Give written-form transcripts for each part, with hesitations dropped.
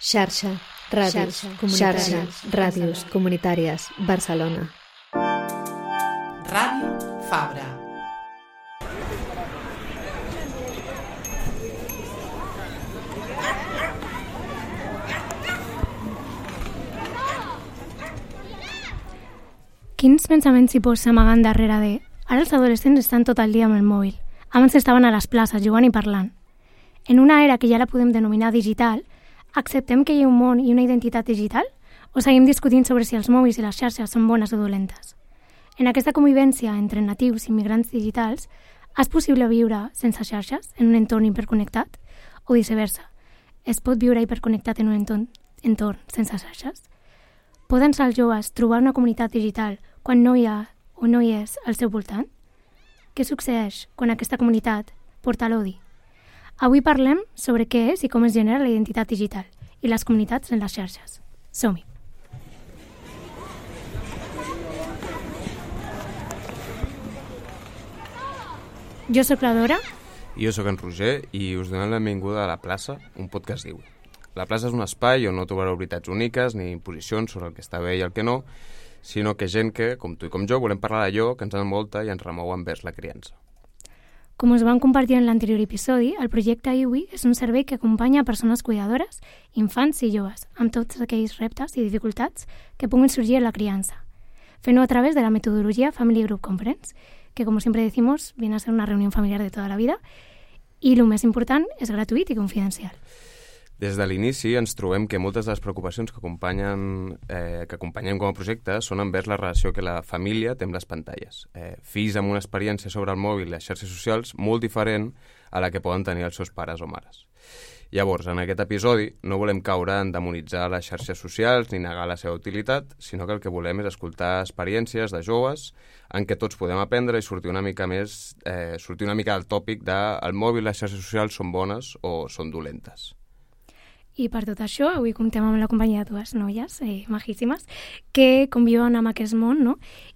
Xarxa, ràdios comunitàries, Barcelona. Ràdio Fabra. Quins pensaments s'hi s'amaguen darrere de... Ara els adolescents estan tot el dia amb el mòbil. Abans estaven a les places jugant i parlant. En una era que ja la podem denominar digital, acceptem que hi ha un món i una identitat digital? O seguim discutint sobre si els mòbils i les xarxes són bones o dolentes? En aquesta convivència entre natius i migrants digitals, és possible viure sense xarxes en un entorn hiperconnectat? O viceversa, es pot viure hiperconnectat en un entorn sense xarxes? Poden ser els joves trobar una comunitat digital quan no hi ha o no hi és al seu voltant? Què succeeix quan aquesta comunitat porta l'odi? Avui parlem sobre què és i com es genera la identitat digital i les comunitats en les xarxes. Som-hi! Jo sóc la Dora. Jo sóc en Roger i us donem la benvinguda a La Plaça, un podcast diu. La plaça és un espai on no trobareu veritats úniques ni imposicions sobre el que està bé i el que no, sinó que gent que, com tu i com jo, volem parlar d'allò que ens envolta i ens remou envers la criança. Com us vam compartir en l'anterior episodi, el projecte IWI és un servei que acompanya a persones cuidadores, infants i joves, amb tots aquells reptes i dificultats que puguin sorgir en la criança, fent-ho a través de la metodologia Family Group Conference, que, como siempre decimos, viene a ser una reunión familiar de toda la vida y, lo més important, és gratuït i confidencial. Des de l'inici ens trobem que moltes de les preocupacions que acompanyem com a projecte són envers la relació que la família té amb les pantalles. Fills amb una experiència sobre el mòbil i les xarxes socials molt diferent a la que poden tenir els seus pares o mares. Llavors, en aquest episodi no volem caure en demonitzar les xarxes socials ni negar la seva utilitat, sinó que el que volem és escoltar experiències de joves en què tots podem aprendre i sortir una mica del tòpic de el mòbil i les xarxes socials són bones o són dolentes. I per tot això, avui comptem amb la companyia de dues noies majíssimes que conviuen amb aquest món, no?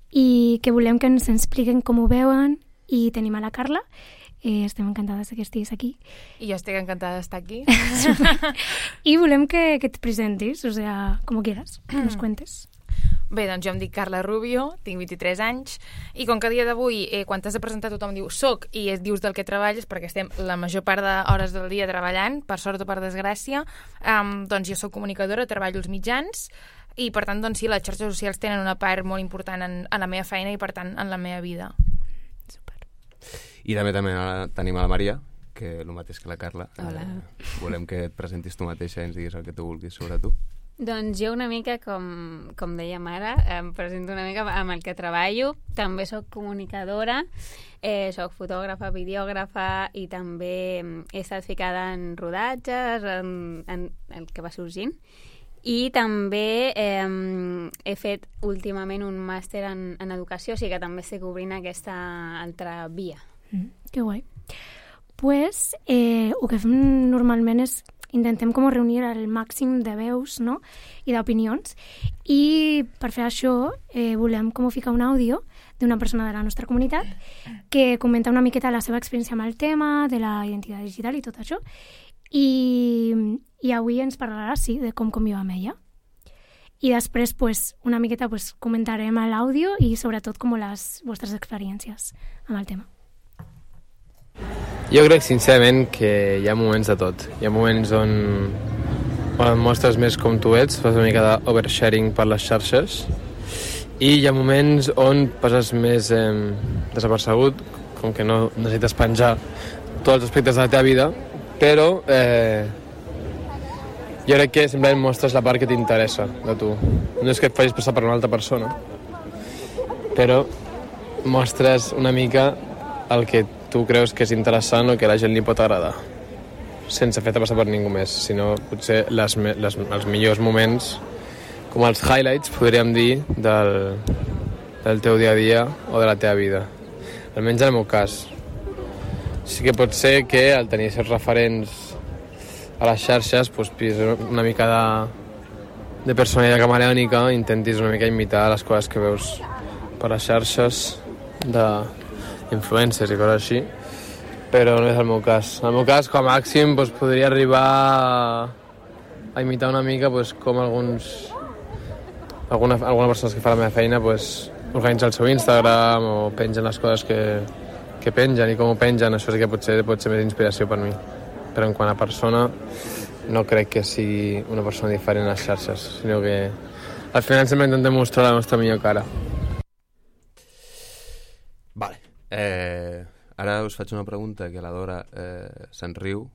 I que volem que ens expliquen com ho veuen. I tenim a la Carla. Estem encantades que estiguis aquí. I jo estic encantada d'estar aquí. I volem que et presentis, o sea, como quieras, que nos cuentes. Bé, doncs jo em dic Carla Rubio, tinc 23 anys, i com que a dia d'avui, quan t'has de presentar tothom diu soc i dius del que treballes, perquè estem la major part d'hores del dia treballant, per sort o per desgràcia, doncs jo soc comunicadora, treballo als mitjans, i per tant, doncs sí, les xarxes socials tenen una part molt important en la meva feina i per tant en la meva vida. Super. I també tenim a la Maria, que el mateix que la Carla. Hola. Volem que et presentis tu mateixa i ens diguis el que tu vulguis sobre tu. Doncs jo una mica, com dèiem ara, em presento una mica amb el que treballo. També sóc comunicadora, sóc fotògrafa, videògrafa i també he estat ficada en rodatges, en el que va sorgint. I també he fet últimament un màster en educació, o sigui que també estic obrint aquesta altra via. Que guai. Pues, el que fem normalment és intentem com reunir el màxim de veus, no? I d'opinions, i per fer això volem com ficar un àudio d'una persona de la nostra comunitat que comenta una miqueta la seva experiència amb el tema de la identitat digital i tot això, i avui ens parlarà, sí, de com conviu amb ella. I després, pues, una miqueta pues, comentarem l'àudio i sobretot com les vostres experiències amb el tema. Jo crec sincerament que hi ha moments de tot. Hi ha moments on et mostres més com tu ets, fas una mica d'oversharing per les xarxes, i hi ha moments on passes més desapercebut, com que no necessites penjar tots els aspectes de la teva vida, però jo crec que simplement mostres la part que t'interessa de tu. No és que et facis passar per una altra persona, però mostres una mica el que tu creus que és interessant o que a la gent li pot agradar, sense fer-te passar per ningú més, sinó potser els millors moments, com els highlights, podríem dir, del teu dia a dia o de la teva vida. Almenys en el meu cas. Sí que pot ser que al tenir certs referents a les xarxes, doncs, una mica de personalitat camaleònica, intentis una mica imitar les coses que veus per les xarxes d'influencers i coses així, però no és el meu cas. En el meu cas, com a màxim, doncs, podria arribar a imitar una mica pues, com alguna persona que fa la meva feina pues, organitza el seu Instagram o pengen les coses que pengen i com ho pengen, això sí que pot ser més inspiració per mi. Però en quant a persona, no crec que sigui una persona diferent a les xarxes, sinó que al final sempre intentem mostrar la nostra millor cara. Vale. Ara us faig una pregunta que la Dora se'n riu,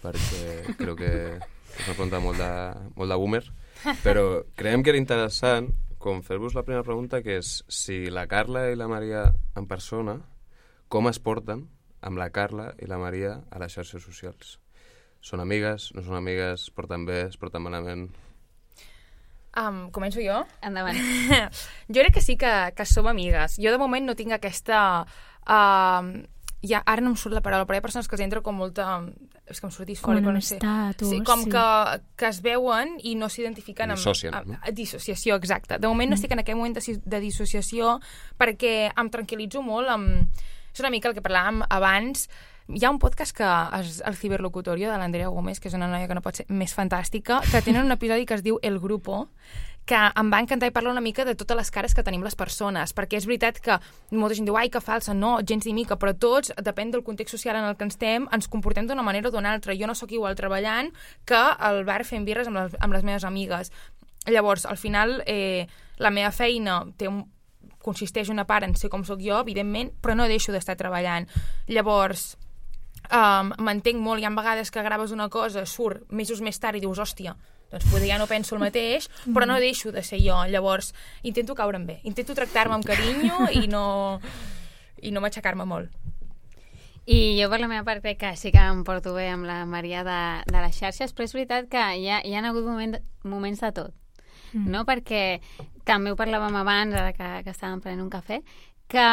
perquè crec que és una pregunta molt de boomer, però creiem que era interessant com fer-vos la primera pregunta, que és si la Carla i la Maria en persona, com es porten amb la Carla i la Maria a les xarxes socials? Són amigues, no són amigues, es porten bé, es porten malament? Començo jo? Endavant. Jo crec que sí que som amigues. Jo de moment no tinc aquesta... ara no em surt la paraula, però hi ha persones que els entra com molta... És que em surt disfòric, com no sé. estatus, que es veuen i no s'identifiquen amb... Dissocien, no? Dissociació, exacte. De moment no estic en aquest moment de dissociació perquè em tranquil·litzo molt És una mica el que parlàvem abans. Hi ha un podcast el Ciberlocutorio, de l'Andrea Gómez, que és una noia que no pot ser més fantàstica, que tenen un episodi que es diu El Grupo, que em va encantar i parla una mica de totes les cares que tenim les persones, perquè és veritat que molta gent diu, ai, que falsa, no, gens ni mica, però tots, depèn del context social en el que estem, ens comportem d'una manera o d'una altra. Jo no sóc igual treballant que al bar fent birres amb les meves amigues. Llavors, al final, la meva feina consisteix una part en ser com sóc jo, evidentment, però no deixo d'estar treballant. Llavors, m'entenc molt, hi ha vegades que graves una cosa, surt mesos més tard i dius, hòstia, doncs potser ja no penso el mateix, però no deixo de ser jo. Llavors, intento caure'm bé, intento tractar-me amb carinyo i no matxacar-me molt. I jo per la meva part crec que sí que em porto bé amb la Maria de les xarxes, però és veritat que hi ha hagut moments de tot, no? Perquè també ho parlàvem abans, ara que estàvem prenent un cafè, que,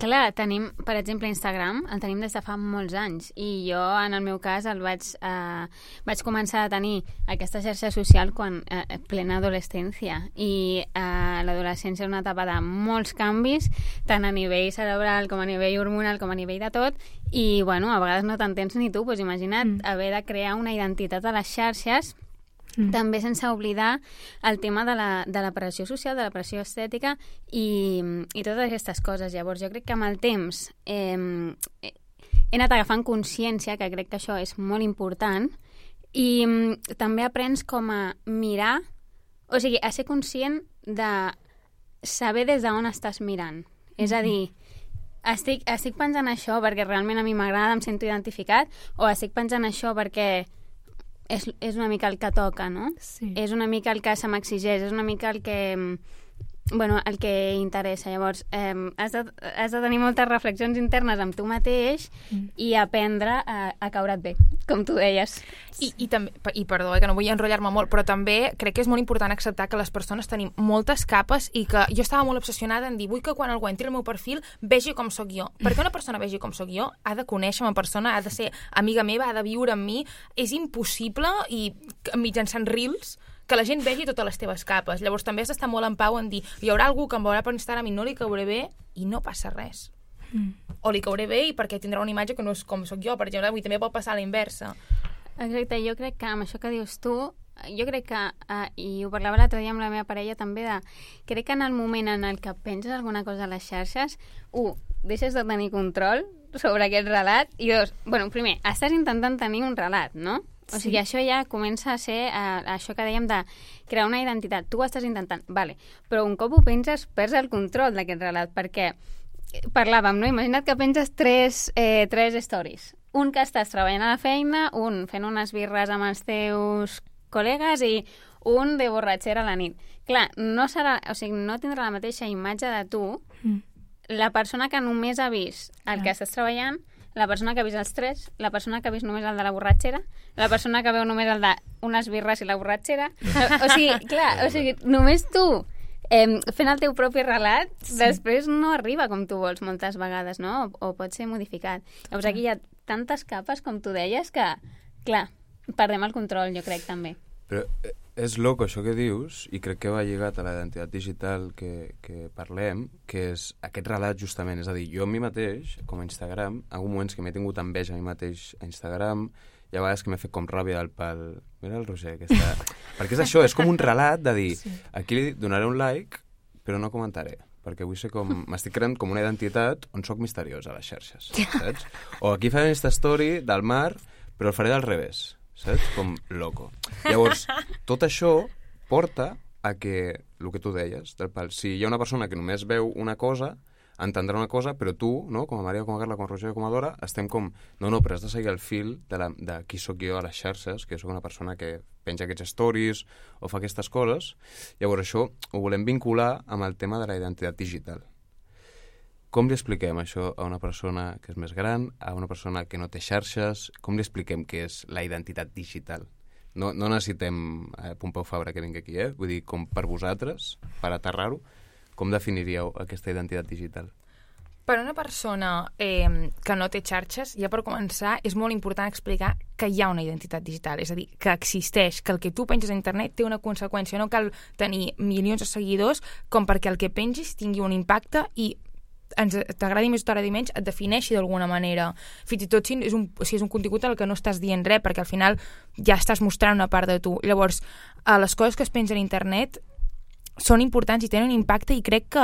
clar, tenim, per exemple, Instagram, el tenim des de fa molts anys, i jo, en el meu cas, vaig començar a tenir aquesta xarxa social quan plena adolescència, i l'adolescència és una etapa de molts canvis, tant a nivell cerebral com a nivell hormonal com a nivell de tot, i, bueno, a vegades no t'entens ni tu, doncs imagina't haver de crear una identitat a les xarxes, també sense oblidar el tema de la pressió social, de la pressió estètica i totes aquestes coses. Llavors, jo crec que amb el temps he anat agafant consciència, que crec que això és molt important, i també aprens com a mirar, o sigui, a ser conscient de saber des d'on estàs mirant. És a dir, estic pensant això perquè realment a mi m'agrada, em sento identificat, o estic pensant això perquè és una mica el que toca, no? Sí. És una mica el que se m'exigeix, és una mica el que interessa. Llavors, has de tenir moltes reflexions internes amb tu mateix i aprendre a caure't bé, com tu deies. I perdó, que no vull enrotllar-me molt, però també crec que és molt important acceptar que les persones tenim moltes capes i que jo estava molt obsessionada en dir, vull que quan algú entri al meu perfil vegi com sóc jo. Perquè una persona vegi com sóc jo ha de conèixer-me en persona, ha de ser amiga meva, ha de viure amb mi. És impossible, i mitjançant reels, que la gent vegi totes les teves capes. Llavors també has d'estar molt en pau en dir, hi haurà algú que em veurà per Instagram i no li cauré bé i no passa res. O li cauré bé i perquè tindrà una imatge que no és com sóc jo, per exemple, avui també pot passar a la inversa. Exacte, jo crec que amb això que dius tu, jo crec que, i ho parlava l'altre dia amb la meva parella també, crec que en el moment en el que penses alguna cosa a les xarxes, deixes de tenir control sobre aquest relat, i dos, bueno, primer, estàs intentant tenir un relat, no? O sigui, això ja comença a ser això que dèiem de crear una identitat. Tu ho estàs intentant, vale, però un cop ho penses, perds el control d'aquest relat, perquè parlàvem, no? Imagina't que penses tres stories. Un que estàs treballant a la feina, un fent unes birres amb els teus col·legues i un de borratxera a la nit. Clar, no tindrà la mateixa imatge de tu la persona que només ha vist el que estàs treballant, la persona que ha vist els tres, la persona que ha vist només el de la borratxera, la persona que veu només el de unes birres i la borratxera. O sigui, només tu fent el teu propi relat, després no arriba com tu vols moltes vegades, no? O pot ser modificat. Llavors aquí hi ha tantes capes, com tu deies, que, clar, perdem el control, jo crec, també. Però és loco això que dius, i crec que va lligat a la identitat digital que parlem, que és aquest relat justament. És a dir, jo a mi mateix, com a Instagram, hi ha moments que m'he tingut enveja a mi mateix a Instagram, hi hi ha vegades que m'he fet com ràbia del pal. Mira el Roger, que està... Perquè és això, és com un relat de dir, aquí li donaré un like, però no comentaré, perquè vull ser com... M'estic creant com una identitat on sóc misteriós a les xarxes, saps? O aquí faré Insta Story del mar, però el faré del revés, saps? Com loco. Llavors, tot això porta a que, el que tu deies, del pal, si hi ha una persona que només veu una cosa, entendrà una cosa, però tu, no? Com a Maria, com a Carla, com a Roger, com a Dora, estem com... No, però has de seguir el fil de qui sóc jo a les xarxes, que sóc una persona que penja aquests stories o fa aquestes coses. Llavors això ho volem vincular amb el tema de la identitat digital. Com li expliquem això a una persona que és més gran, a una persona que no té xarxes? Com li expliquem què és la identitat digital? No necessitem Pompeu Fabra que vingui aquí, Vull dir, com per vosaltres, per aterrar-ho, com definiríeu aquesta identitat digital? Per una persona que no té xarxes, ja per començar, és molt important explicar que hi ha una identitat digital, és a dir, que existeix, que el que tu penges a internet té una conseqüència. No cal tenir milions de seguidors com perquè el que pengis tingui un impacte i t'agradi més o t'agradi menys, et defineixi d'alguna manera. Fins i tot si és un contingut al que no estàs dient res, perquè al final ja estàs mostrant una part de tu. Llavors, les coses que es pengen a internet són importants i tenen un impacte, i crec que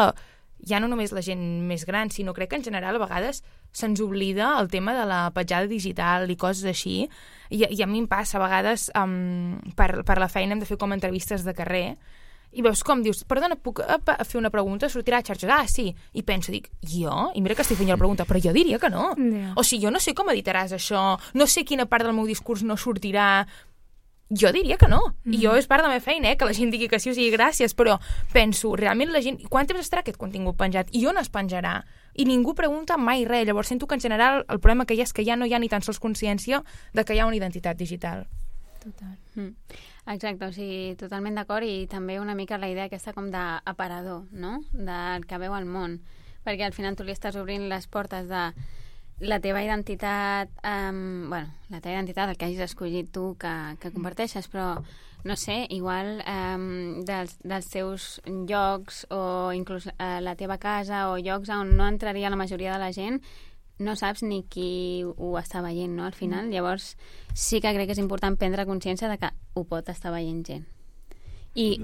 ja no només la gent més gran, sinó crec que en general a vegades se'ns oblida el tema de la petjada digital i coses així, i a mi em passa a vegades per la feina hem de fer com entrevistes de carrer, i veus com dius, perdona, puc fer una pregunta? Sortirà a xarxes? Ah, sí. I penso, dic, jo? I mira que estic fent jo la pregunta, però jo diria que no. Yeah. O sigui, jo no sé com editaràs això, no sé quina part del meu discurs no sortirà. Jo diria que no. I jo és part de la meva feina, que la gent digui que sí, o sigui, gràcies, però penso, realment la gent... Quant temps estarà aquest contingut penjat? I on es penjarà? I ningú pregunta mai res. Llavors sento que en general el problema que hi ha és que ja no hi ha ni tan sols consciència de que hi ha una identitat digital. Total. Exacte, o sigui, totalment d'acord, i també una mica la idea aquesta com d'aparador, no? Del que veu el món. Perquè al final tu li estàs obrint les portes de la teva identitat, la teva identitat, el que hagis escollit tu que comparteixes, però, no sé, igual dels teus llocs o inclús la teva casa o llocs on no entraria la majoria de la gent, no saps ni qui ho està veient, no?, al final. Llavors, sí que crec que és important prendre consciència de que ho pot estar veient gent. I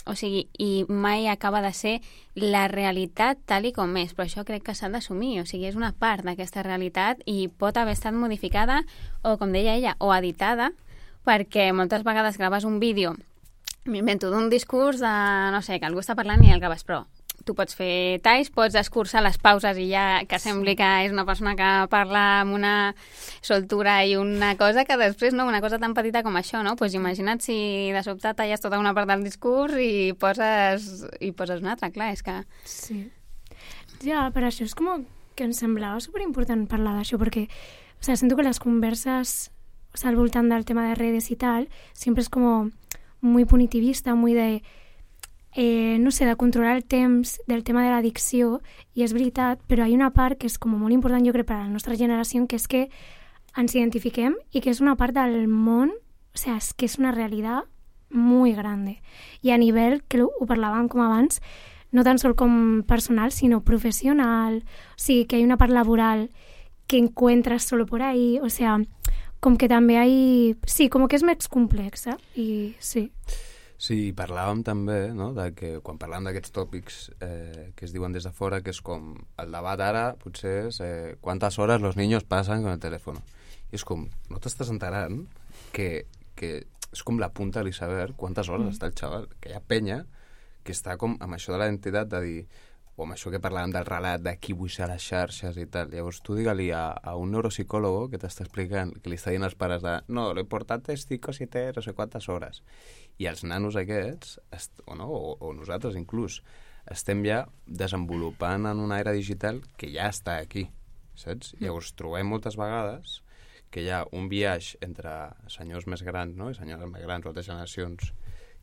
o sigui, i mai acaba de ser la realitat tal i com és, però això crec que s'ha d'assumir, o sigui, és una part d'aquesta realitat i pot haver estat modificada o, com deia ella, o editada, perquè moltes vegades graves un vídeo, m'invento d'un discurs de, no sé, que algú està parlant i el graves, però tu pots fer talls, pots escurçar les pauses i ja que sembli que és una persona que parla amb una soltura i una cosa que després, no, una cosa tan petita com això, no? Pues imagina't si de sobte talles tota una part del discurs i poses una altra, clar, és que... Sí. Ja, per això és com que em semblava superimportant parlar d'això, perquè, o sea, sento que les converses, o sea, al voltant del tema de redes i tal, sempre és com muy punitivista, muy de... no sé, de controlar el temps del tema de l'addicció, i és veritat, però hi ha una part que és com molt important, jo crec, per a la nostra generació, que és que ens identifiquem i que és una part del món, o sea, és que és una realitat muy grande. I a nivell, que ho parlàvem com abans, no tan sol com personal, sinó professional, o sigui, que hi ha una part laboral que encuentras solo por ahí, o sea, com que també hay... Sí, com que és més complexa, i sí. Sí, parlàvem també, no?, de que quan parlàvem d'aquests tòpics que es diuen des de fora, que és com el debat ara, potser és quantes hores los niños passen con el teléfono. I és com, no t'estàs enterant que és com la punta de l'iceberg, quantes hores està el xaval, que hi ha penya que està com amb això de la identitat de dir, o amb això que parlàvem del relat de qui vull ser a les xarxes i tal. Llavors tu digue-li a un neuropsicòlogo que t'està explicant, que li està dient als pares de no, lo importante es 5 o 7, no sé quantes hores. I els nanos aquests, o nosaltres inclús, estem ja desenvolupant en una era digital que ja està aquí, saps? Llavors trobem moltes vegades que hi ha un viatge entre senyors més grans, no?, i senyores més grans o altres generacions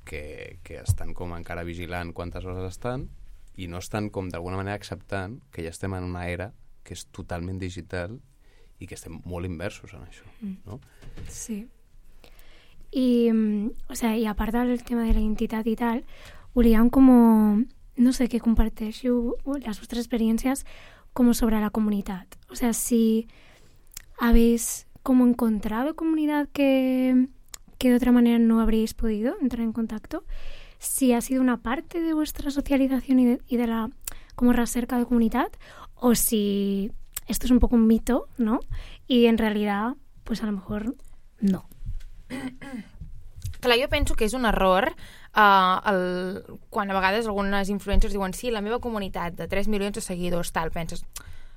que estan com encara vigilant quantes hores estan i no estan com d'alguna manera acceptant que ja estem en una era que és totalment digital i que estem molt inversos en això, no? Sí. I, o sea, i a part del tema de la identitat i tal, volíem com, no sé, que compartéssiu les vostres experiències com sobre la comunitat. O sea, si habéis como encontrado comunidad que de otra manera no habríais podido entrar en contacto, si ha sido una parte de vuestra socialización y de la como recerca de comunidad, o si esto es un poco un mito, ¿no? Y en realidad, pues a lo mejor no. Clar, jo penso que és un error quan a vegades algunes influencers diuen sí, la meva comunitat de 3 milions de seguidors, tal, penses...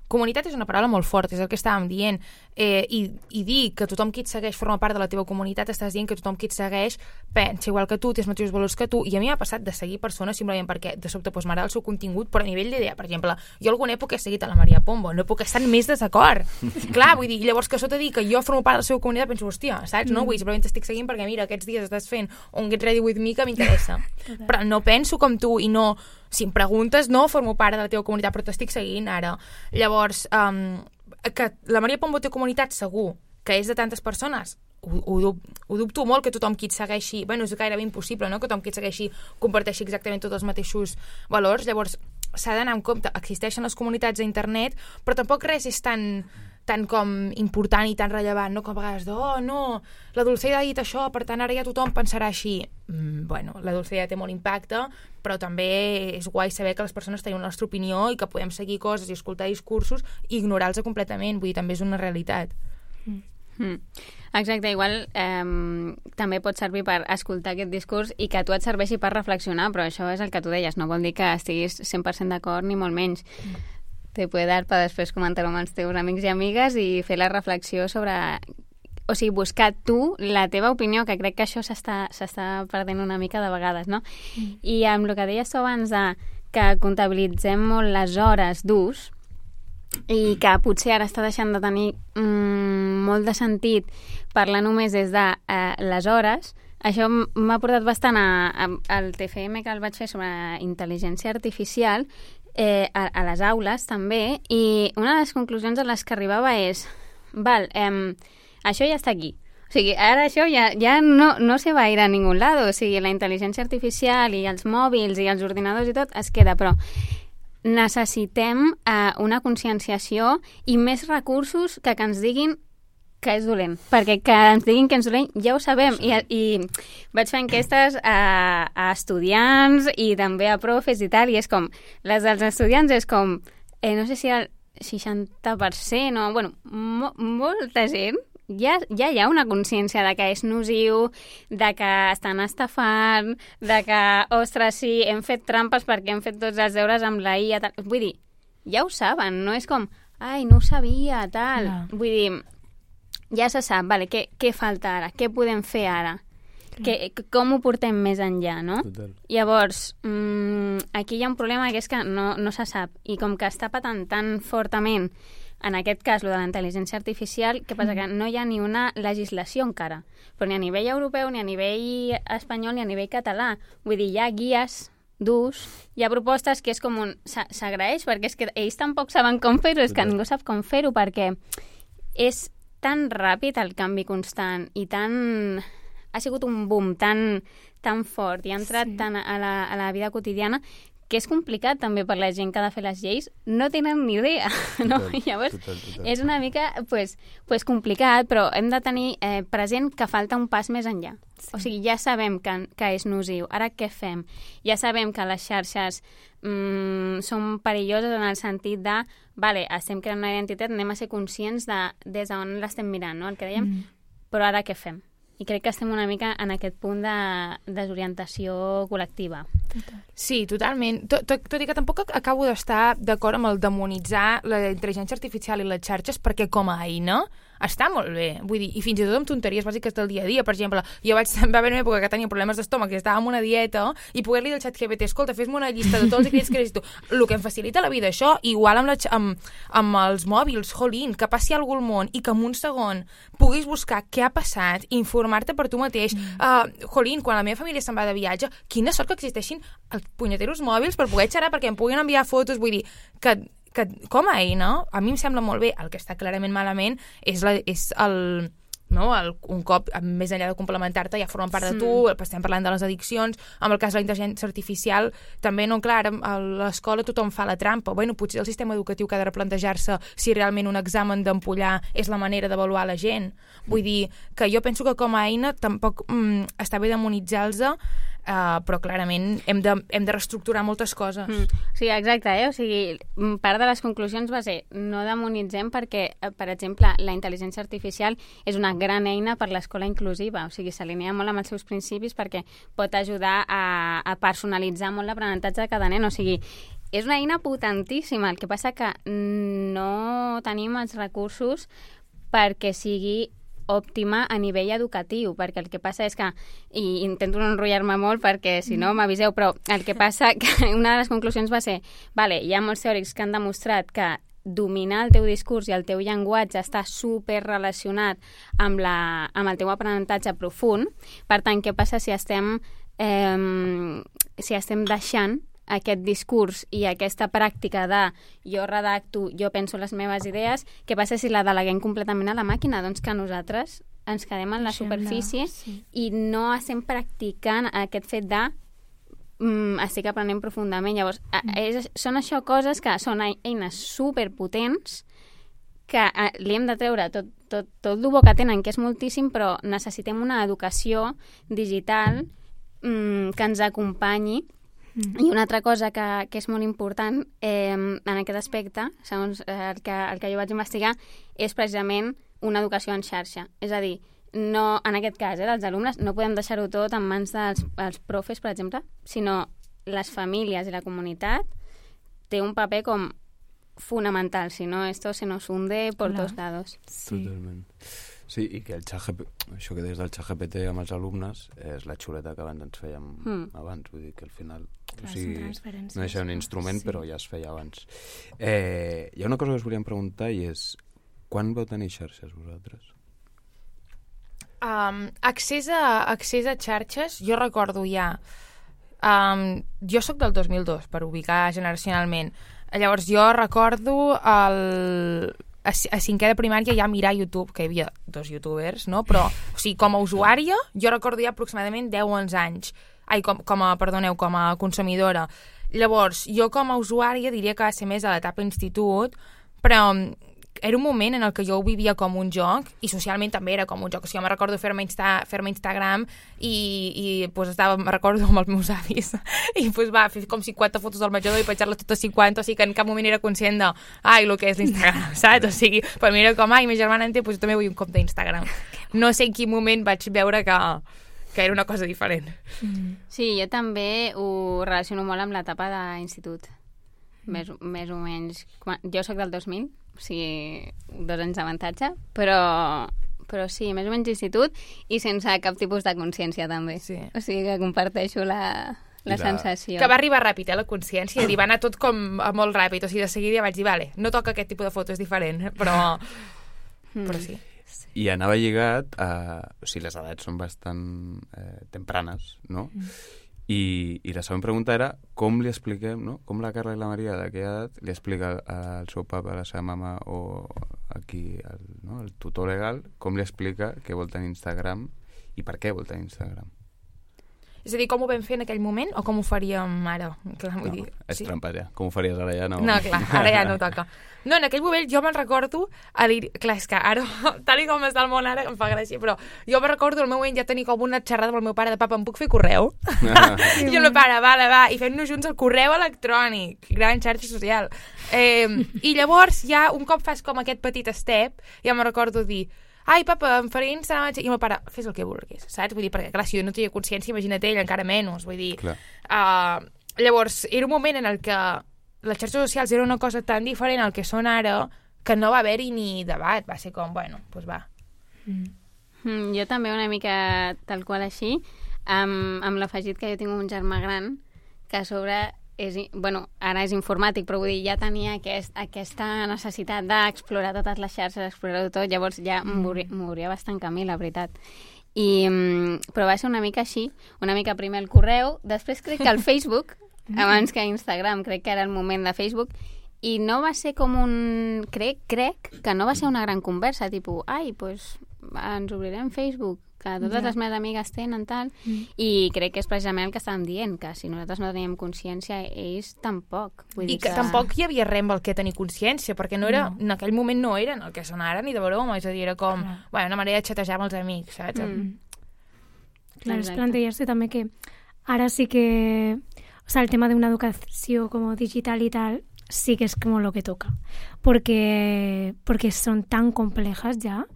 Comunitat és una paraula molt forta, és el que estàvem dient, i dir que tothom qui et segueix forma part de la teva comunitat, estàs dient que tothom qui et segueix pensa igual que tu, té els mateixos valors que tu, i a mi m'ha passat de seguir persones simplement perquè de sobte m'agrada el seu contingut, però a nivell d'idea, per exemple, jo alguna època he seguit a la Maria Pombo, no puc estar en més desacord. Clar, vull dir, llavors que sota dir que jo formo part de la seva comunitat, penso, hòstia, saps? No? Vull dir, simplement t'estic seguint perquè mira, aquests dies estàs fent un Get Ready With Me que m'interessa. Però no penso com tu i no... Si em preguntes, no formo part de la teva comunitat, però t'estic seguint ara. Llavors, que la Maria Pombo té comunitat, segur, que és de tantes persones, ho dubto molt que tothom qui et segueixi, bueno, és gairebé impossible, no?, que tothom qui et segueixi comparteixi exactament tots els mateixos valors. Llavors, s'ha d'anar en compte, existeixen les comunitats a internet, però tampoc res és tan com important i tan rellevant, no? Com a vegades no, la Dulceida ha dit això, per tant ara ja tothom pensarà així. Bueno, la Dulceida té molt impacte, però també és guai saber que les persones tenen la nostra opinió i que podem seguir coses i escoltar discursos i ignorar-los completament, vull dir, també és una realitat. Exacte, igual també pot servir per escoltar aquest discurs i que a tu et serveixi per reflexionar, però això és el que tu deies, no vol dir que estiguis 100% d'acord ni molt menys. Te puede dar per després comentar-ho amb els teus amics i amigues i fer la reflexió sobre... O sigui, buscar tu la teva opinió, que crec que això s'està perdent una mica de vegades, no? I amb el que deies tu abans que comptabilitzem molt les hores d'ús i que potser ara està deixant de tenir molt de sentit parlar només des de les hores, això m'ha portat bastant al TFM que el vaig fer sobre intel·ligència artificial, a les aules també, i una de les conclusions a les que arribava és això ja està aquí, o sigui, ara això ja no se va a ir a ningún lado, o sigui, la intel·ligència artificial i els mòbils i els ordinadors i tot es queda, però necessitem una conscienciació i més recursos que ens diguin que és dolent, perquè que ens diguin que és dolent ja ho sabem, i vaig fer enquestes a estudiants i també a profes i tal, i és com, les dels estudiants és com, no sé si el 60% o, bueno, molta gent ja hi ha una consciència de que és nociu, de que estan estafant, de que, ostres, sí, hem fet trampes perquè hem fet tots els deures amb la IA, tal. Vull dir, ja ho saben, no és com, ai, no ho sabia, tal. No. Vull dir, ja se sap, vale, què falta ara? Què podem fer ara? Com ho portem més enllà, no? Total. Llavors, aquí hi ha un problema que és que no se sap, i com que està patant tan fortament, en aquest cas, lo de la intel·ligència artificial, què passa? Que no hi ha ni una legislació encara, però ni a nivell europeu, ni a nivell espanyol, ni a nivell català. Vull dir, hi ha guies d'ús, hi ha propostes que és com s'agraeix, perquè és que ells tampoc saben com fer-ho, és que ningú sap com fer-ho, perquè és tan ràpid el canvi constant i ha sigut un boom tan fort i ha entrat tant a la vida quotidiana que és complicat també per la gent que ha de fer les lleis, no tenen ni idea, no? Llavors, és una mica pues, complicat, però hem de tenir present que falta un pas més enllà. Sí. O sigui, ja sabem que és nociu. Ara què fem? Ja sabem que les xarxes són perilloses en el sentit de vale, estem creant una identitat, anem a ser conscients de des d'on l'estem mirant, no? El que dèiem, però ara què fem? I crec que estem una mica en aquest punt de desorientació col·lectiva. Sí, totalment. Tot i que tampoc acabo d'estar d'acord amb el demonitzar la intel·ligència artificial i les xarxes perquè com a eina està molt bé. Vull dir, i fins i tot amb tonteries bàsiques del dia a dia. Per exemple, va haver una època que tenia problemes d'estómac i estava en una dieta i poder-li dir al ChatGPT, escolta, fes-me una llista de tots els ingredients que necessito. El que em facilita la vida, això, igual amb els mòbils, jolín, que passi alguna cosa al món i que en un segon puguis buscar què ha passat, informar-te per tu mateix. Jolín, quan la meva família se'n va de viatge, quina sort que existeixin els punyeteros mòbils per poder xerrar, perquè em puguin enviar fotos, vull dir, que com a eina, a mi em sembla molt bé. El que està clarament malament és no? Un cop, més enllà de complementar-te, ja formen part de tu, estem parlant de les addiccions, amb el cas de la intel·ligència artificial, també, no, clar, a l'escola tothom fa la trampa. Bueno, potser el sistema educatiu que ha de replantejar-se si realment un examen d'ampollar és la manera d'avaluar la gent. Vull dir que jo penso que com a eina tampoc està bé demonitzar-los, però clarament hem de reestructurar moltes coses. Sí, exacte, O sigui, part de les conclusions va ser no demonitzem perquè, per exemple, la intel·ligència artificial és una gran eina per l'escola inclusiva, o sigui, s'alinea molt amb els seus principis perquè pot ajudar a personalitzar molt l'aprenentatge de cada nen, o sigui, és una eina potentíssima, el que passa que no tenim els recursos perquè sigui òptima a nivell educatiu, perquè el que passa és que, i intento no enrotllar-me molt perquè si no m'aviseu, però el que passa que una de les conclusions va ser, vale, hi ha molts teòrics que han demostrat que dominar el teu discurs i el teu llenguatge està super relacionat amb el teu aprenentatge profund. Per tant, què passa si estem deixant aquest discurs i aquesta pràctica de jo redacto, jo penso les meves idees, què passa si la deleguem completament a la màquina? Doncs que nosaltres ens quedem en la superfície i no estem practicant aquest fet de estic aprenent profundament. Llavors, són això coses que són eines superpotents que li hem de treure tot el bo que tenen, que és moltíssim, però necessitem una educació digital que ens acompanyi. I una altra cosa que és molt important en aquest aspecte, segons el que jo vaig investigar, és precisament una educació en xarxa. És a dir, no, en aquest cas, dels alumnes, no podem deixar-ho tot en mans dels profes, per exemple, sinó les famílies i la comunitat té un paper com fundamental, si no esto se nos hunde por todos lados. Totalment. Sí, i que això que des del ChatGPT amb els alumnes és la xuleta que abans ens fèiem abans, vull dir que al final no deixa un instrument, però ja es feia abans. Hi ha una cosa que us volíem preguntar i és quan vau tenir xarxes vosaltres? Accés a xarxes, jo recordo ja jo sóc del 2002 per ubicar generacionalment. Llavors jo recordo a cinquè de primària ja mirar YouTube, que hi havia 2 youtubers, no? Però, o sigui, com a usuària, jo recordo ja aproximadament 10 o 11 anys. Com a consumidora. Llavors, jo com a usuària diria que va ser més a l'etapa institut, però era un moment en el que jo ho vivia com un joc i socialment també era com un joc. O sigui, jo me recordo fer-me Instagram i pues, me recordo amb els meus avis i pues, va fer com 50 fotos del menjador i penjar-les totes 50, o sigui que en cap moment era conscient de el que és l'Instagram, saps? O sigui, per mi era com, ma germana en té, pues, jo també vull un compte d'Instagram. No sé en quin moment vaig veure que era una cosa diferent. Sí, jo també ho relaciono molt amb l'etapa d'institut. Més o menys. Jo sóc del 2000, o sigui, 2 anys d'avantatge, però sí, més o menys institut i sense cap tipus de consciència també. Sí. O sigui que comparteixo la sensació. Que va arribar ràpid, la consciència, i va anar tot com molt ràpid, o sigui, de seguida ja vaig dir, vale, no toca aquest tipus de foto, és diferent, però sí. I anava lligat o sigui, les edats són bastant tempranes, no? I la següent pregunta era com li expliquem, no? Com la Carla i la Maria d'aquella edat li explica al seu papa, a la seva mama o aquí el tutor legal, com li explica què vol tenir Instagram i per què vol tenir Instagram. És a dir, com ho vam fer en aquell moment o com ho faríem ara? Clar, vull dir, és trampa ja. Com ho faries ara ja no... No, clar, ara ja no toca. No, en aquell moment jo me'n recordo a dir... Clar, és que ara, tal com està el món ara, em fa gràcia, però jo me'n recordo el meu moment ja tenir com una xerrada amb el meu pare de papa, em puc fer correu? I el meu pare, va, i fem-nos junts el correu electrònic, gran xarxa social. I llavors ja un cop fas com aquest petit step, ja me'n recordo dir... papa, em faré Instagram... I el meu pare, fes el que vulguis, saps? Vull dir, perquè clar, si jo no tenia consciència, imagina't ell, encara menys, vull dir... Llavors, era un moment en el que les xarxes socials era una cosa tan diferent al que són ara que no va haver-hi ni debat, va ser com, bueno, doncs va. Jo també una mica tal qual així, amb l'afegit que jo tinc un germà gran que a sobre... ara és informàtic, però vull dir, ja tenia aquesta necessitat d'explorar totes les xarxes, explorar-ho tot, llavors ja m'hauria bastant camí, la veritat. Però va ser una mica així, una mica primer el correu, després crec que el Facebook, abans que Instagram, crec que era el moment de Facebook, i no va ser com crec que no va ser una gran conversa, tipus, pues ens obrirem Facebook, que totes les meves amigues tenen tal, i crec que és precisament el que estàvem dient, que si nosaltres no teníem consciència, ells tampoc. Vull dir que tampoc hi havia res amb el que tenir consciència, perquè no era, en aquell moment no eren el que són ara ni de broma, és a dir, era com una manera de xatejar amb els amics, saps? Clar, és plantejar-se també que ara sí que, o sea, el tema de una educació como digital y tal, sí que es como lo que toca, porque son tan complejas ja,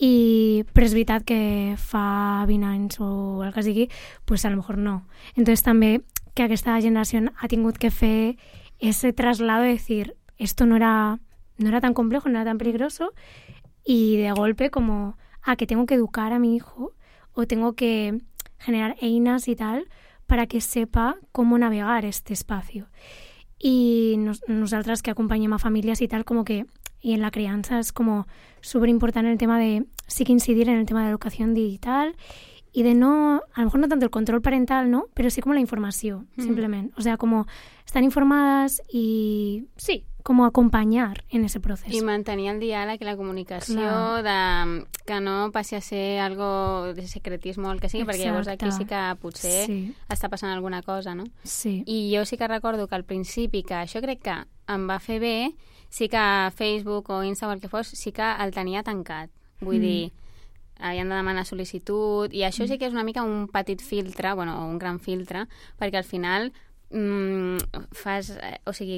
però és veritat que fa 20 anys o el que sigui, pues a lo mejor no. Entonces també que aquesta generació ha tingut que fer ese traslado de decir, esto no era tan complejo, no era tan peligroso, y de golpe como, que tengo que educar a mi hijo o tengo que generar einas y tal para que sepa cómo navegar este espacio. Y nosaltres que acompanyem a famílies i tal, como que, y en la crianza es como súper importante el tema de, sí que incidir en el tema de educación digital y de no, a lo mejor no tanto el control parental, ¿no? Pero sí como la información, simplemente. O sea, como estar informadas y, sí, como acompanyar en ese procés. I mantenir el diàleg i la comunicació, de que no passi a ser algo de secretisme o el que sigui, perquè llavors aquí sí que potser està passant alguna cosa, no? Sí. I jo sí que recordo que al principi, que això crec que em va fer bé, sí que Facebook o Insta o el que fos, sí que el tenia tancat. Vull dir, havien de demanar sol·licitud, i això sí que és una mica un petit filtre, bueno, o un gran filtre, perquè al final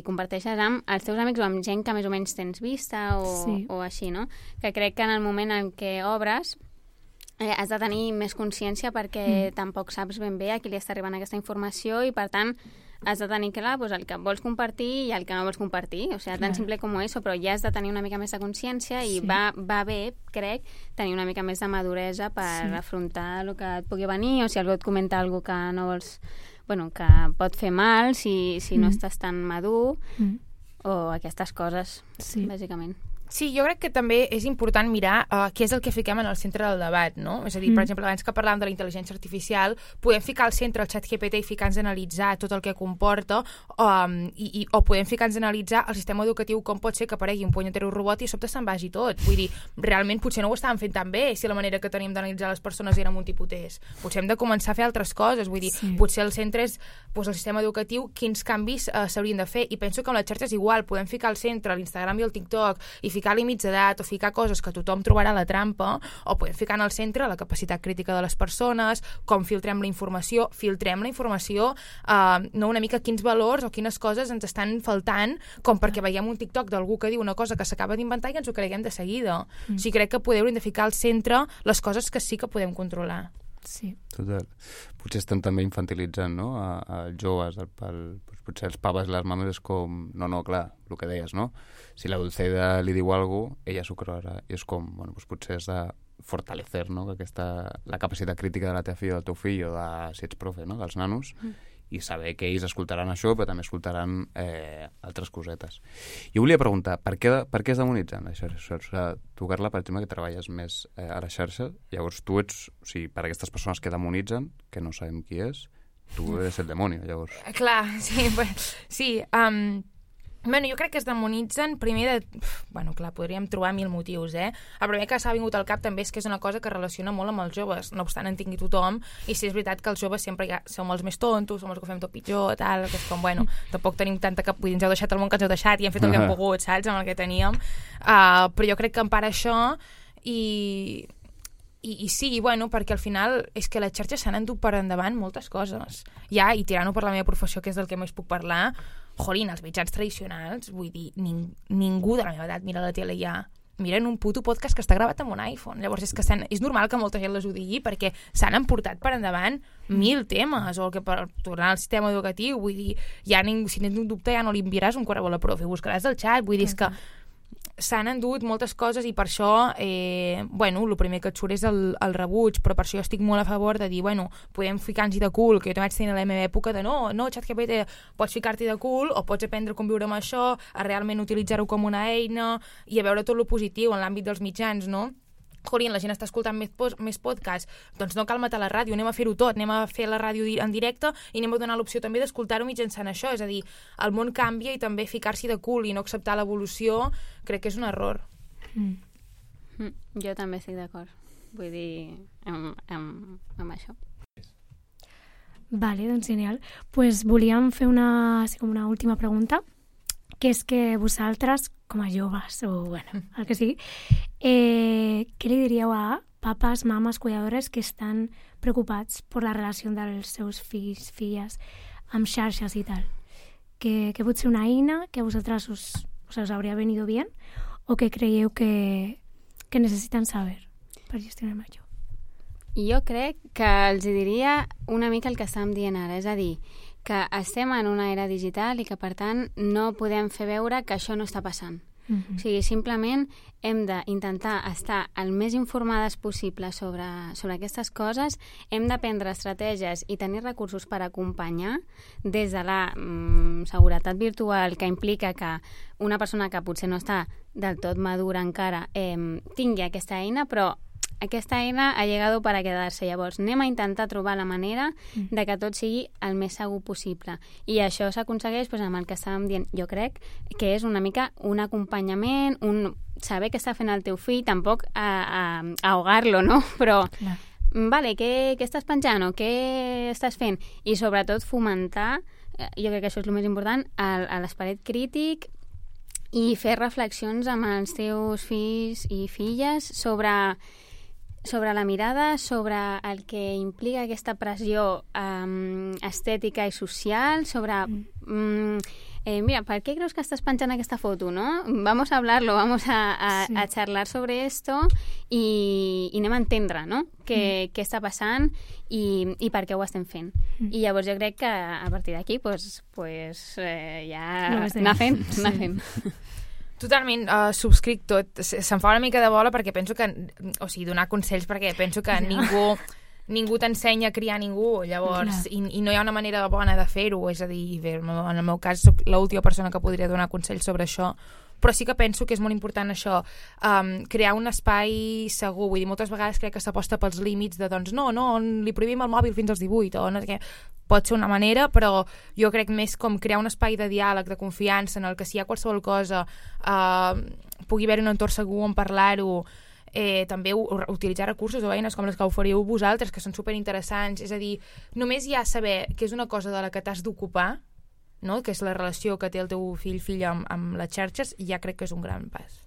comparteixes amb els teus amics o amb gent que més o menys tens vista o així, no? Que crec que en el moment en què obres has de tenir més consciència perquè tampoc saps ben bé a qui li està arribant aquesta informació i, per tant, has de tenir clar el que vols compartir i el que no vols compartir. O sigui, tan simple com això, però ja has de tenir una mica més de consciència i va bé, crec, tenir una mica més de maduresa per afrontar el que et pugui venir, o si algú et comenta alguna cosa que no vols... Bueno, que pot fer mal si no estàs tan madur o aquestes coses, bàsicament. Sí, jo crec que també és important mirar què és el que fiquem en el centre del debat, no? És a dir, per exemple, abans que parlàvem de la intel·ligència artificial, podem ficar al centre el ChatGPT i ficar-nos a analitzar tot el que comporta o podem ficar-nos a analitzar el sistema educatiu, com pot ser que aparegui un punyetero robot i a sobte se'n vagi tot. Vull dir, realment potser no ho estàvem fent tan bé si la manera que tenim d'analitzar les persones era multipotés. Potser hem de començar a fer altres coses. Vull dir, potser el centre és el sistema educatiu, quins canvis s'haurien de fer. I penso que amb les xarxes igual, podem ficar al centre l'Instagram i el TikTok i ficar límits d'edat o ficar coses que tothom trobarà a la trampa, o podem ficar en el centre la capacitat crítica de les persones, com filtrem la informació, no una mica quins valors o quines coses ens estan faltant, com perquè veiem un TikTok d'algú que diu una cosa que s'acaba d'inventar i ens ho creguem de seguida. O sigui, crec que podeu de ficar al centre les coses que sí que podem controlar. Sí. Total. Potser estem també infantilitzant, no?, als joves, potser els paves i les mames és com, no, clar, el que deies, no? Si la Dulceida li diu alguna cosa, ella s'ho creurà. I és com, bueno, potser has de fortalecer, no?, la capacitat crítica de la teva filla o del teu fill, o de, si ets profe, no?, dels nanos, i saber que ells escoltaran això, però també escoltaran altres cosetes. Jo volia preguntar, per què es demonitzen les xarxes? Tu, Carla, per exemple, que treballes més a la xarxa, llavors tu ets, o sigui, per aquestes persones que demonitzen, que no sabem qui és, tu eres el demoni, llavors. Clar, sí. Bueno, jo crec que es demonitzen primer de... Bueno, clar, podríem trobar 1000 motius, El primer que s'ha vingut al cap també és que és una cosa que relaciona molt amb els joves, no obstant en tingui tothom, i sí, és veritat que els joves sempre som els més tontos, som els que ho fem tot pitjor, tal, que és com, bueno, tampoc tenim tanta cap... Vull dir, ens heu deixat el món que ens heu deixat i hem fet el que hem pogut, saps, amb el que teníem. Però jo crec que en part això i sí, bueno, perquè al final és que les xarxes s'han endut per endavant moltes coses. Ja, i tirant-ho per la meva professió, que és del que més puc parlar, jolín, els mitjans tradicionals, vull dir, ningú de la meva edat mira la tele ja. Miren un puto podcast que està gravat amb un iPhone. Llavors és normal que molta gent les ho digui perquè s'han emportat per endavant 1000 temes, o el que per tornar al sistema educatiu, vull dir, ja si tens un dubte ja no li enviaràs un correu a la profe, buscaràs el xat, vull dir, és que s'han endut moltes coses i per això, bueno, el primer que et surt és el rebuig, però per això jo estic molt a favor de dir, bueno, podem ficar-nos-hi de cul, que jo també vaig tenir a la meva època de no, ChatGPT, pots ficar-t'hi de cul o pots aprendre a conviure amb això, a realment utilitzar-ho com una eina i a veure tot lo positiu en l'àmbit dels mitjans, no? Jolín, la gent està escoltant més podcasts, doncs no cal matar la ràdio, anem a fer-ho tot, anem a fer la ràdio en directe i anem a donar l'opció també d'escoltar-ho mitjançant això, és a dir, el món canvia i també ficar-s'hi de cul i no acceptar l'evolució crec que és un error. Jo també estic d'acord. vull dir, amb això. Vale, doncs genial. Pues volíem fer una última pregunta, que és que vosaltres, com a joves, o bueno, el que sigui, què li diríeu a papes, mames, cuidadores que estan preocupats per la relació dels seus fills, filles, amb xarxes i tal? Que pot ser una eina que a vosaltres us hauria venido bien o que creieu que necessiten saber per gestionar això? Jo crec que els diria una mica el que estàvem dient ara, és a dir, que estem en una era digital i que, per tant, no podem fer veure que això no està passant. O sigui, simplement hem d'intentar estar el més informades possible sobre aquestes coses, hem d'aprendre estratègies i tenir recursos per acompanyar des de la seguretat virtual, que implica que una persona que potser no està del tot madura encara tingui aquesta eina, però aquesta eina ha llegat per a quedar-se. Llavors, anem a intentar trobar la manera de que tot sigui el més segur possible. I això s'aconsegueix amb el que estàvem dient. Jo crec que és una mica un acompanyament, saber què està fent el teu fill, tampoc ahogar-lo, no? Però, vale, què estàs penjant o què estàs fent? I sobretot fomentar, jo crec que això és el més important, l'esperit crític i fer reflexions amb els teus fills i filles sobre la mirada, sobre el que implica aquesta pressió estètica i social, sobre mira, ¿per qué creus que estàs penjant aquesta foto, no? Vamos a hablarlo, vamos a charlar sobre esto i anem a entendre, no? Què està passant i per què ho estem fent. I llavors jo crec que a partir d'aquí ja anar fent. Totalment, subscric tot. Se'm fa una mica de bola perquè penso que... O sigui, donar consells perquè penso que ningú t'ensenya a criar ningú, llavors, i no hi ha una manera bona de fer-ho, és a dir, bé, en el meu cas soc l'última persona que podria donar consells sobre això, però sí que penso que és molt important això, crear un espai segur. Vull dir, moltes vegades crec que s'aposta pels límits de, doncs, no, li prohibim el mòbil fins als 18, o no sé què. Pot ser una manera, però jo crec més com crear un espai de diàleg, de confiança, en el que si hi ha qualsevol cosa pugui haver un entorn segur on parlar-ho, també utilitzar recursos o eines com les que oferiu vosaltres, que són superinteressants. És a dir, només ja saber que és una cosa de la que t'has d'ocupar, no? Que és la relació que té el teu fill-filla amb les xarxes, i ja crec que és un gran pas.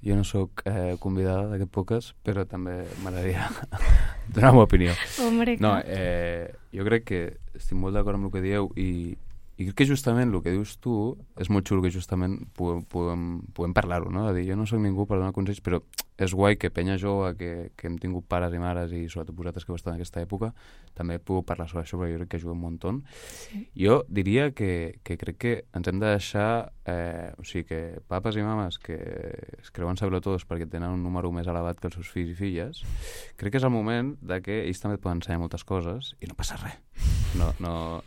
Jo no sóc convidada d'aquest podcast, però també m'agradaria donar la meva opinió. Hombre, no, jo crec que estic molt d'acord amb el que dieu i crec que justament el que dius tu és molt xulo, que justament puguem parlar-ho, no? De dir, jo no soc ningú per donar consells, però és guai que penya jove, que hem tingut pares i mares i sobretot vosaltres que heu estat en aquesta època, també puc parlar sobre això, perquè jo crec que ajuda un munt. Sí. Jo diria que crec que ens hem de deixar, o sigui, que papes i mames que es creuen saber-ho tots perquè tenen un número més elevat que els seus fills i filles, crec que és el moment de que ells també et poden ensenyar moltes coses i no passa res. No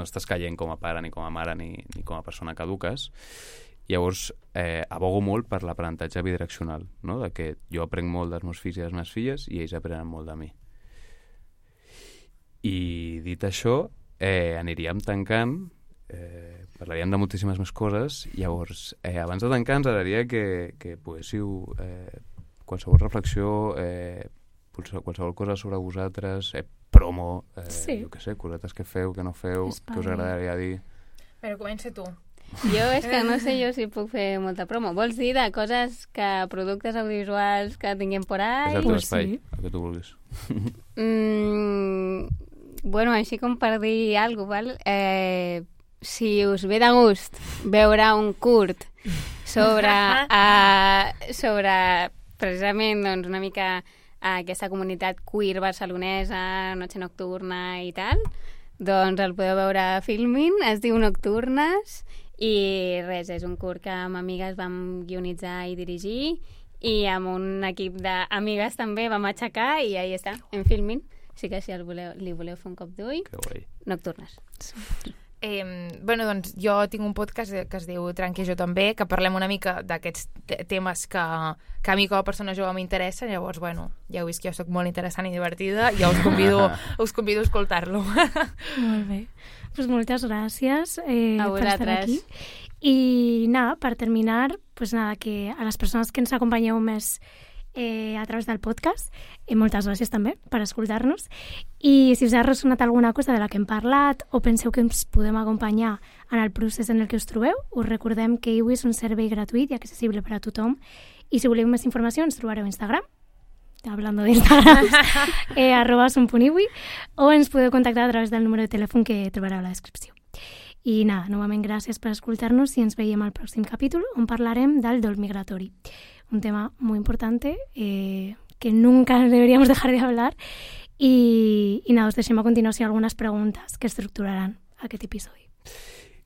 estàs caient com a pare, ni com a mare, ni com a persona que eduques. Llavors, abogo molt per l'aprenentatge bidireccional, no? De que jo aprenc molt dels meus fills i de les meves filles i ells aprenen molt de mi. I dit això, aniríem tancant, parlaríem de moltíssimes més coses. Llavors, abans de tancar ens agradaria que poguéssiu qualsevol reflexió, qualsevol cosa sobre vosaltres, promo, jo què sé, cosetes que feu, que no feu, que us agradaria dir. Però comença tu. Jo és que no sé jo si puc fer molta promo. Vols dir de coses productes audiovisuals que tinguem por ahí? És el teu espai, el que tu vulguis. Bueno, així com per dir alguna cosa, val? Si us ve de gust veure un curt sobre precisament doncs, una mica aquesta comunitat queer barcelonesa, Noche Nocturna i tal, doncs el podeu veure a Filmin, es diu Nocturnes, i res, és un curt que amb amigues vam guionitzar i dirigir i amb un equip d'amigues també vam aixecar i ahí està, en Filmin. Així que si li voleu fer un cop d'ull, Nocturnes. Bueno, doncs jo tinc un podcast que es diu Tranqui jo també, que parlem una mica d'aquests temes que a mi com a persona jove m'interessen. Llavors, bueno, ja heu vist que jo soc molt interessant i divertida, ja us convido a escoltar-lo. Molt bé. Pues moltes gràcies per estar aquí. I nada, per terminar, pues nada, que a les persones que ens acompanyeu més a través del podcast. Moltes gràcies també per escoltar-nos. I si us ha ressonat alguna cosa de la que hem parlat o penseu que ens podem acompanyar en el procés en el que us trobeu, us recordem que Iwi és un servei gratuït i accessible per a tothom. I si voleu més informació ens trobareu a Instagram, hablando de Instagram, @son.iwi, o ens podeu contactar a través del número de telèfon que trobareu a la descripció. I nada, novament gràcies per escoltar-nos i ens veiem al pròxim capítol on parlarem del dol migratori. Un tema muy importante que nunca deberíamos dejar de hablar. I nada, us deixem a continuació algunes preguntes que estructuraran aquest episodi.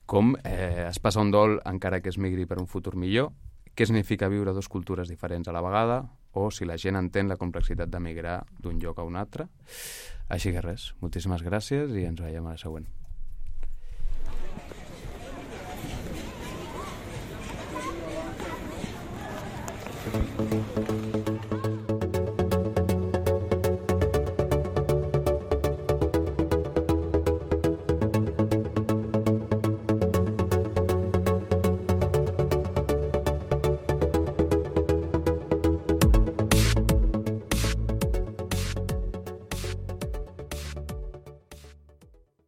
Com es passa un dol encara que es migri per un futur millor? Què significa viure dues cultures diferents a la vegada? O si la gent entén la complexitat de migrar d'un lloc a un altre? Així que res, moltíssimes gràcies i ens veiem a la següent. Thank you.